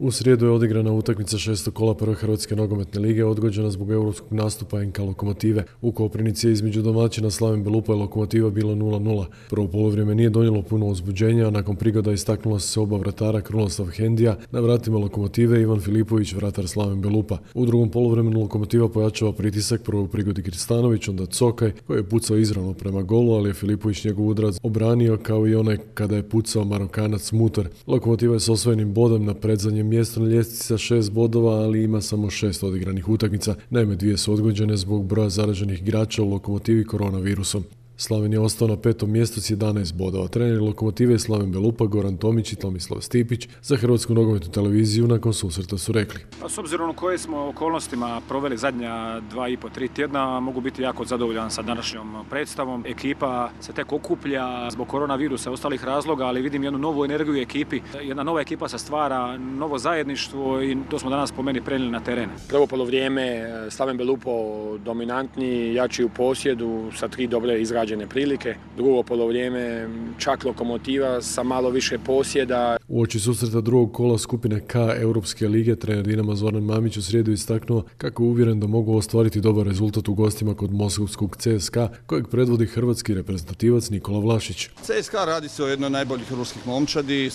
U srijedu je odigrana utakmica 6. kola prve Hrvatske nogometne lige, odgođena zbog europskog nastupa NK Lokomotive. U Koprivnici je između domaćina Slaven Belupa i Lokomotiva bilo 0:0. Prvo polovrijeme nije donijelo puno uzbuđenja, a nakon prigoda istaknula su se oba vratara Krunoslav Hendija, na vratima Lokomotive Ivan Filipović, vratar Slaven Belupa. U drugom poluvremenu Lokomotiva pojačava pritisak, prvo u prigodi Kristanović, onda Cokaj, koji je pucao izravno prema golu, ali je Filipović njegov udarac obranio kao i onaj kada je pucao Marokanac Mutar. Lokomotiva je s osvojenim bodom na predzadnjem mjestu na ljestvici sa 6 bodova, ali ima samo 6 odigranih utakmica. Naime, 2 su odgođene zbog broja zaraženih igrača u Lokomotivi koronavirusom. Slaven je ostao na 5. mjestu s 11 bodova. Treneri Lokomotive Slaven Belupa, Goran Tomić i Tomislav Stipić za Hrvatsku nogometnu televiziju nakon susreta su rekli: S obzirom u koje smo okolnostima proveli zadnja 2,5-3 tjedna, mogu biti jako zadovoljan sa današnjom predstavom. Ekipa se tek okuplja zbog koronavirusa i ostalih razloga, ali vidim jednu novu energiju u ekipi. Jedna nova ekipa se stvara, novo zajedništvo i to smo danas po meni prenijeli na teren. Prvo polovrijeme Slaven Belupo dominantni, jači u posjedu sa 3 dobre izrađene prilike. Drugo polovrijeme čak Lokomotiva sa malo više posjeda. Uoči susreta drugog kola skupine K Europske lige, trener Dinama Zoran Mamić u srijedu istaknuo kako je uvjeren da mogu ostvariti dobar rezultat u gostima kod moskovskog CSKA, kojeg predvodi hrvatski reprezentativac Nikola Vlašić. CSKA radi se o jednoj najboljih ruskih momčadi,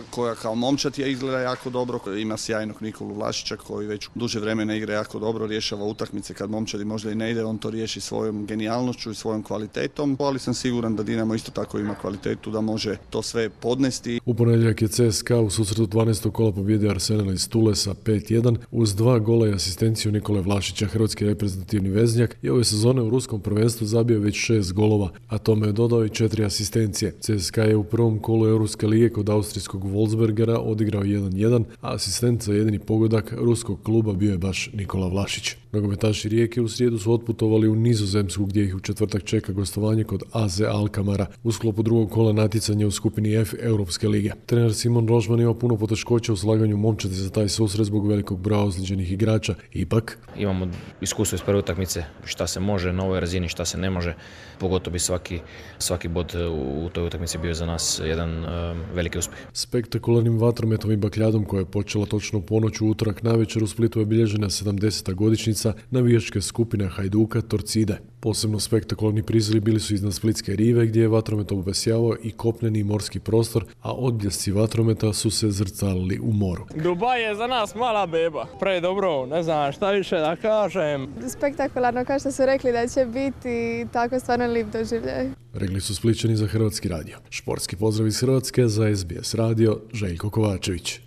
koja kao momčad je izgleda jako dobro. Ima sjajnog Nikolu Vlašića koji već duže vremena igra jako dobro, rješava utakmice kad momčadi možda i ne ide, on to riješi svojom genijalnošću i svojom kvalitetom, ali sam siguran da Dinamo isto tako ima kvalitetu da može to sve podnesti. U ponedjeljak je CSKA u susretu 12. kola pobjedio Arsenal iz Tulesa 5:1 uz 2 gola i asistenciju Nikole Vlašića. Hrvatski reprezentativni veznjak je ove sezone u ruskom prvenstvu zabio već 6 golova, a tome je dodao i 4 asistencije. CSKA je u prvom kolu Europske lige kod austrijskog Wolfsbergera odigrao 1:1, a asistent za jedini pogodak ruskog kluba bio je baš Nikola Vlašić. Nogometaši Rijeke u srijedu su otputovali u Nizozemsku, gdje ih u četvrtak čeka gostovanje kod AZ Alkamara u sklopu drugog kola natjecanja u skupini F Europske lige. Trener Simon Rožman ima puno poteškoća u slaganju momčadi za taj susret zbog velikog broja ozlijeđenih igrača. Ipak imamo iskustvo iz prve utakmice, šta se može na ovoj razini, šta se ne može. Pogotovo bi svaki bod u toj utakmici bio za nas jedan veliki uspjeh. Spektakularnim vatrometom i bakljadom koja je počela točno u ponoć u utorak navečer u Splitu je obilježena 70. godišnjica navijačke skupine Hajduka Torcide. Posebno spektakularni prizori bili su iznad Splitske rive, gdje je vatromet obesjavao i kopneni i morski prostor, a odbljesci vatrometa su se zrcalili u moru. Dubaj je za nas mala beba. Pre dobro, ne znam šta više da kažem. Spektakularno, kao što su rekli da će biti, tako stvarno lijep doživljaj. Rekli su Splićani za Hrvatski radio. Športski pozdrav iz Hrvatske za SBS radio, Željko Kovačević.